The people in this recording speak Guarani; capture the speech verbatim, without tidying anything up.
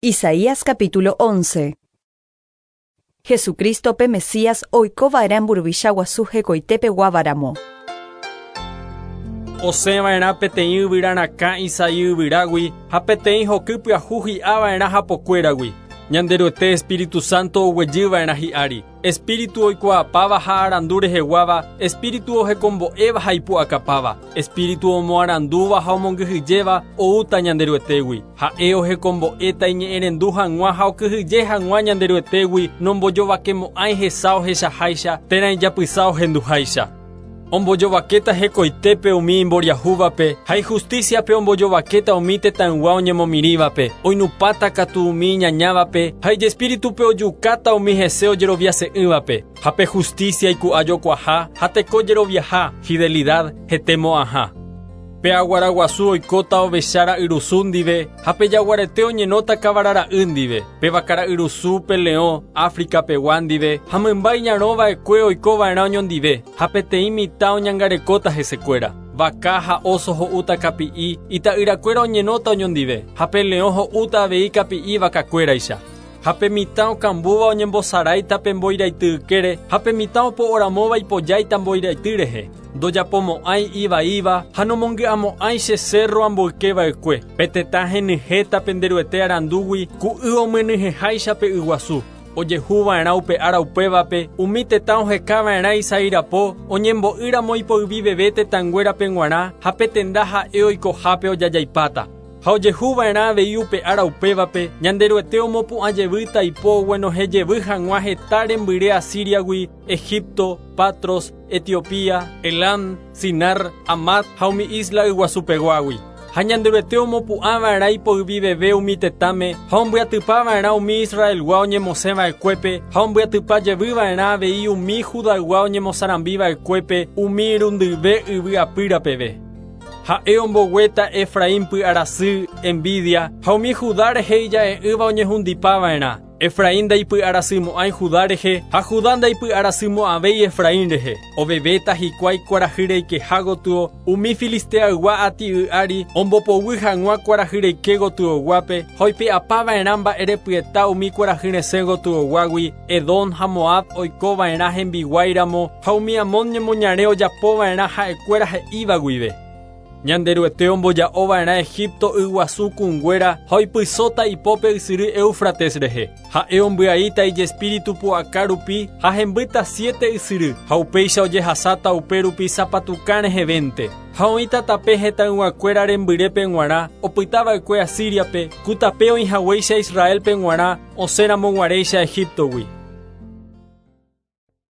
Isaías capítulo once. Jesucristo pe Mesías oikova'erã mburuvicha guasu hekoitépe guavaramo. Osẽva'erã peteĩ yvyrarakã Isaí yvyrágui ha peteĩ hoky pyahu hi'ava'erã hapokuéragui. Ñanderuete Espíritu Santo oguejyva'erã hi'ári. Espíritu oikuaapáva ha arandu reheguáva, Espíritu ohekombo'éva ha ipu'akapáva, Espíritu omoarandúva ha omongyhyjéva oúta Ñanderuetégui. Ha'e ohekombo'éta iñe'ẽrendu hag̃ua ha okyhyje hag̃ua Ñanderuetégui nombojovakemo'ãi hesa ohechaháicha térã ijapysa ohenduháicha. Ombojovakéta hekoitépe umi imboriahúvape ha ijusticiape ombojovakéta umi tetãygua oñemomirĩvape, oinupãta katu umi iñañávape ha ijespíritupe ojukáta umi hese ojeroviase'ỹvape. Ha pe justicia iku'ajokuaha ha teko jeroviaha, fidelidad hetemo'ãha. Pe aguaraguasu oikóta ovecha ra'yrusu ndive ha pe jaguarete oñenóta kavarara'y ndive, pe vakara'yrusu pe leõ África pegua ndive ha mymba iñarõva'ekue oikova'erã oñondive ha peteĩ mitã oñangarekóta hesekuéra. Vaka ha oso ho'úta kapi'i, ita'yrakuéra oñenóta oñondive ha pe leõ ho'úta avei kapi'i vakakuéraicha. Ha pe mitã okambúva oñembosaráita pe mboiraity ykére ha pe mitã opo'oramóva ipojáita mboiraity rehe. Ndojapomo'ãi ivaíva ha nomongy'amo'ãi che cerro amboykeva'ekue. Pe tetã henyhẽta penderuete arandúgui ku y omyenyhẽháicha pe yguasu. Ojehuva'erã upe ára upévape umi tetã ohekava'erã Isaí rapo oñembo'ýramo ipoyviveve tetãnguérape g̃uarã ha pe tenda ha'e oikohápe ojajaipáta. Ha ojehuva'erã avei upe ára upévape Ñanderuete omopu'ãjevýta ipo oguenohẽjevy hag̃ua heta rembyre Asiriagui, Egipto, Patros, Etiopía, Elam, Sinar, Amat ha umi isla yguasupeguágui. Ha Ñanderuete omopu'ãva'erã ipoyviveve umi tetãme ha ombyatypava'erã umi Israelgua oñemosẽva'ekuépe ha ombyatypajevyva'erã avei umi Judaygua oñemosarambiva'ekuépe umi irundyve yvy apýrapeve. Ha'e omboguéta Efraín py'arasy, envidia, ha umi Judá rehe ija'e'ỹva oñehundipava'erã. Efraín ndaipy'arasymo'ãi Judá rehe ha Judá ndaipy'arasymo'ãvéi Efraín rehe. Ovevéta hikuái kuarahy reikeha gotyo umi filisteaygua ati'y ári ombopoguy hag̃ua kuarahy reike gotyoguápe ha oipe'apava'erã mba'erepyeta umi kuarahy resẽ gotyoguágui Edom ha Moab oikova'erã hembiguáiramo ha umi Amón ñemoñare ojapova'erã ha'ekuéra he'íva guive. Ñanderuete omboja'ova'erã Egipto yguasu kũnguéra ha oipysóta ipópe ysyry Éufrates rehe. Ha'e ombyaíta ijespíritu pu'aka rupi ha hembýta siete ysyry ha upéicha ojehasáta upe rupi sapatukã rehevente. Ha oĩta tape hetãyguakuéra rembyrépe g̃uarã opytava'ekue Asiriape ku tape oĩhaguéicha Israelpe g̃uarã osẽramo g̃uaréicha Egiptogui.